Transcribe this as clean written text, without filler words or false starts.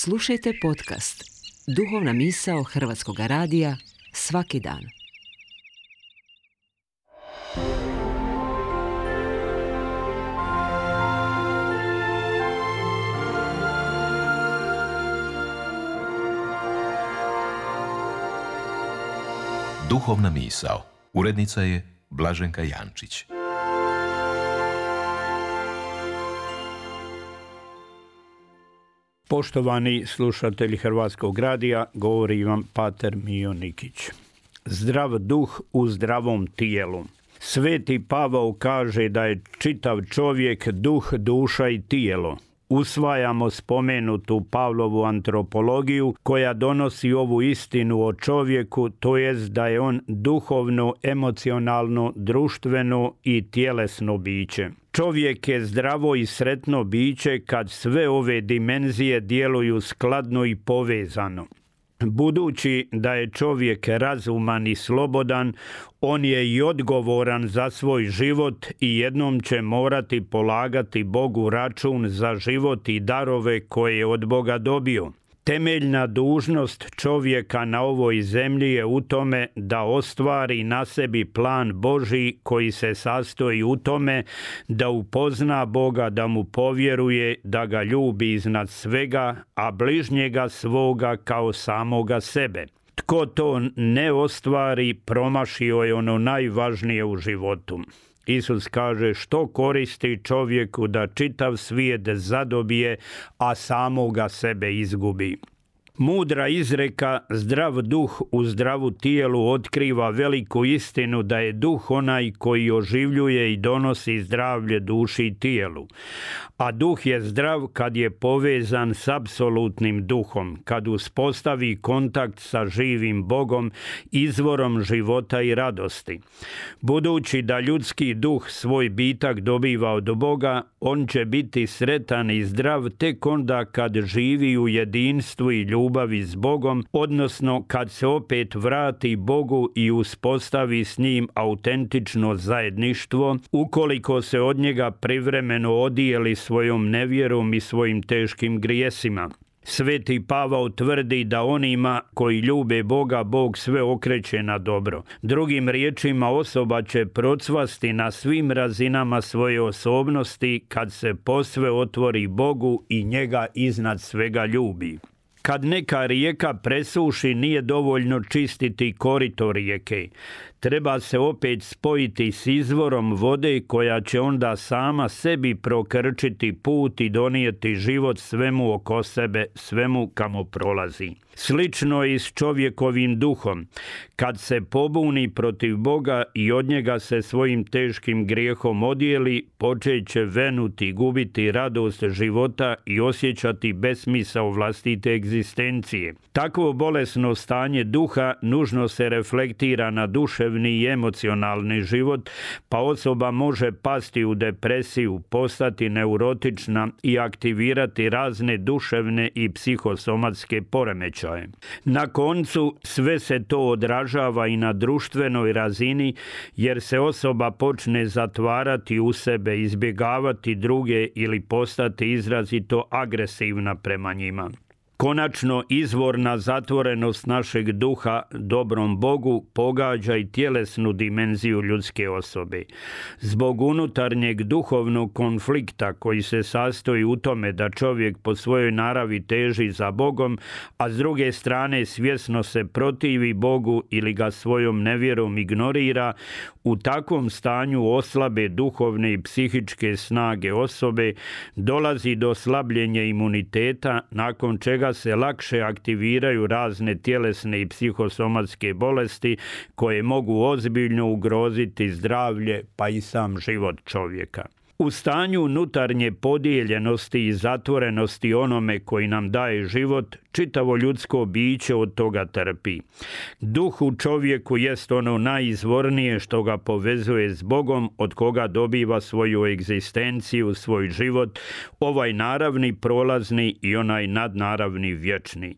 Slušajte podcast Duhovna misao Hrvatskog radija svaki dan. Duhovna misao. Urednica je Blaženka Jančić. Poštovani slušatelji Hrvatskog radija, govori vam pater Mijo Nikić. Zdrav duh u zdravom tijelu. Sveti Pavao kaže da je čitav čovjek duh, duša i tijelo. Usvajamo spomenutu Pavlovu antropologiju koja donosi ovu istinu o čovjeku, to jest da je on duhovno, emocionalno, društveno i tjelesno biće. Čovjek je zdravo i sretno biće kad sve ove dimenzije djeluju skladno i povezano. Budući da je čovjek razuman i slobodan, on je i odgovoran za svoj život i jednom će morati polagati Bogu račun za život i darove koje je od Boga dobio. Temeljna dužnost čovjeka na ovoj zemlji je u tome da ostvari na sebi plan Božji koji se sastoji u tome da upozna Boga, da mu povjeruje, da ga ljubi iznad svega, a bližnjega svoga kao samoga sebe. Tko to ne ostvari, promašio je ono najvažnije u životu. Isus kaže, što koristi čovjeku da čitav svijet zadobije, a samoga sebe izgubi. Mudra izreka zdrav duh u zdravu tijelu otkriva veliku istinu da je duh onaj koji oživljuje i donosi zdravlje duši i tijelu. A duh je zdrav kad je povezan s apsolutnim duhom, kad uspostavi kontakt sa živim Bogom, izvorom života i radosti. Budući da ljudski duh svoj bitak dobiva od Boga, on će biti sretan i zdrav tek onda kad živi u jedinstvu i ljubavi s Bogom, odnosno kad se opet vrati Bogu i uspostavi s njim autentično zajedništvo, ukoliko se od njega privremeno odijeli svojom nevjerom i svojim teškim grijesima. Sveti Pavao tvrdi da onima koji ljube Boga, Bog sve okreće na dobro. Drugim riječima, osoba će procvasti na svim razinama svoje osobnosti kad se posve otvori Bogu i njega iznad svega ljubi. Kad neka rijeka presuši, nije dovoljno čistiti korito rijeke. Treba se opet spojiti s izvorom vode koja će onda sama sebi prokrčiti put i donijeti život svemu oko sebe, svemu kamo prolazi. Slično je i s čovjekovim duhom. Kad se pobuni protiv Boga i od njega se svojim teškim grijehom odijeli, počet će venuti, gubiti radost života i osjećati besmisao vlastite egzistencije. Takvo bolesno stanje duha nužno se reflektira na duševni i emocionalni život, pa osoba može pasti u depresiju, postati neurotična i aktivirati razne duševne i psihosomatske poremećaje. Na koncu sve se to odražava i na društvenoj razini, jer se osoba počne zatvarati u sebe, izbjegavati druge ili postati izrazito agresivna prema njima. Konačno, izvorna zatvorenost našeg duha dobrom Bogu pogađa i tjelesnu dimenziju ljudske osobe. Zbog unutarnjeg duhovnog konflikta koji se sastoji u tome da čovjek po svojoj naravi teži za Bogom, a s druge strane svjesno se protivi Bogu ili ga svojom nevjerom ignorira, u takvom stanju oslabe duhovne i psihičke snage osobe, dolazi do slabljenja imuniteta, nakon čega se lakše aktiviraju razne tjelesne i psihosomatske bolesti koje mogu ozbiljno ugroziti zdravlje pa i sam život čovjeka. U stanju unutarnje podijeljenosti i zatvorenosti onome koji nam daje život, čitavo ljudsko biće od toga trpi. Duh u čovjeku jest ono najizvornije što ga povezuje s Bogom, od koga dobiva svoju egzistenciju, svoj život, ovaj naravni, prolazni i onaj nadnaravni, vječni.